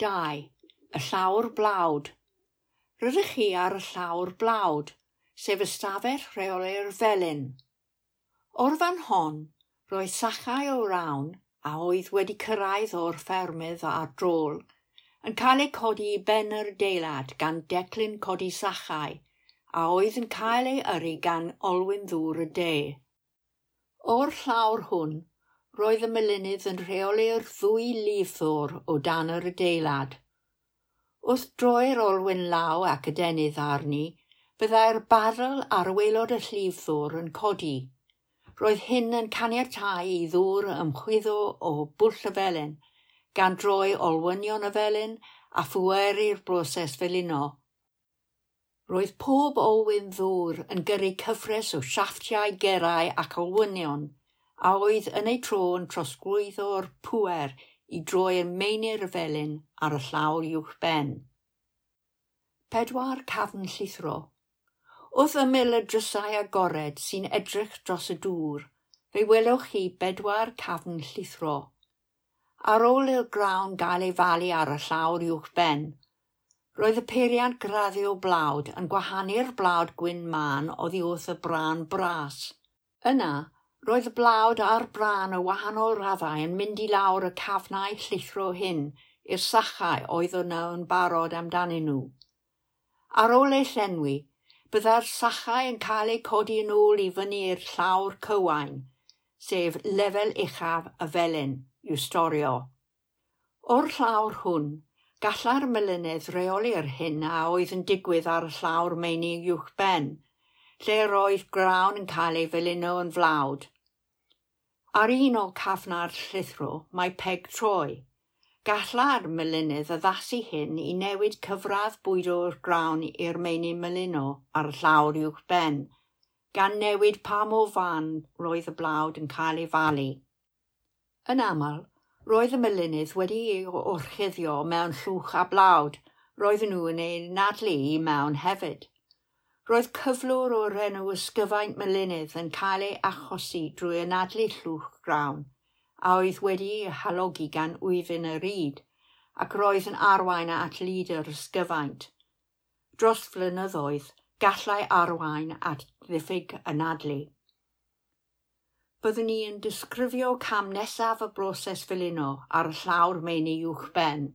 2. Y llawr blawd. Rydych chi ar y llawr blawd, sef ystafell rheoli'r felin. O'r fan hon, roedd sachau o rawn, a oedd wedi cyrraedd o'r ffermydd a'r drol, yn cael eu codi i ben yr adeilad gan declyn codi sachau, a oedd yn cael ei yrru gan olwyn ddŵr y de. O'r llawr hwn, roedd y melinydd yn rheoli'r ddwy lifddwr o dan yr adeilad. Wrth droi'r olwyn law ac adenydd arni, byddai'r barel ar waelod y llifddwr yn codi. Roedd hyn yn caniatáu i ddŵr ymchwyddo o bwll y felin, gan droi olwynion y felin a phweru'r broses felino. Roedd pob olwyn ddŵr yn gyrru cyfres o siafftiau gerau ac olwynion, a oedd yn eu tro yn trosglwyddo'r pŵer i droi meini'r felin ar y llawr uwchben. 4 cafn llithro. Wrth ymyl y drysau agored sy'n edrych dros y dŵr, fe welwch chi 4 cafn llithro. Ar ôl i'r grawn gael ei falu ar y llawr uwchben, roedd y peiriant graddio blawd yn gwahanu'r blawd gwyn mân oddi wrth y brân bras. Yna, roedd y blawd a'r brân o wahanol raddau yn mynd i lawr y cafnau llithro hyn i'r sachau oedd yno yn barod amdanyn nhw. Ar ôl eu llenwi, byddai'r sachau yn cael eu codi yn ôl i fyny i'r llawr cywain, sef lefel uchaf y felin, i'w storio. O'r llawr hwn, gallai'r melinydd reoli'r hyn a oedd yn digwydd ar y llawr meini uwchben, lle roedd grawn yn cael ei felino yn flawd. Ar un o cafnau'r llithro mae peg troi. Gallai'r melinydd addasu hyn i newid cyfradd bwydo'r grawn i'r meini melino ar y llawr uwchben, gan newid pa mor fan roedd y blawd yn cael ei falu. Yn aml, roedd y melinydd wedi ei orchuddio mewn llwch a blawd, roedden nhw yn ei anadlu i mewn hefyd. Roedd cyflwr o'r enw ysgyfaint melinydd yn cael ei achosi drwy anadlu llwch grawn, a oedd wedi'i halogi gan wyfyn y ryd, ac roedd yn arwain at lid yr ysgyfaint. Dros flynyddoedd, gallai arwain at ddiffyg anadlu. Byddwn ni yn disgrifio cam nesaf y broses felino ar y llawr meini uwchben.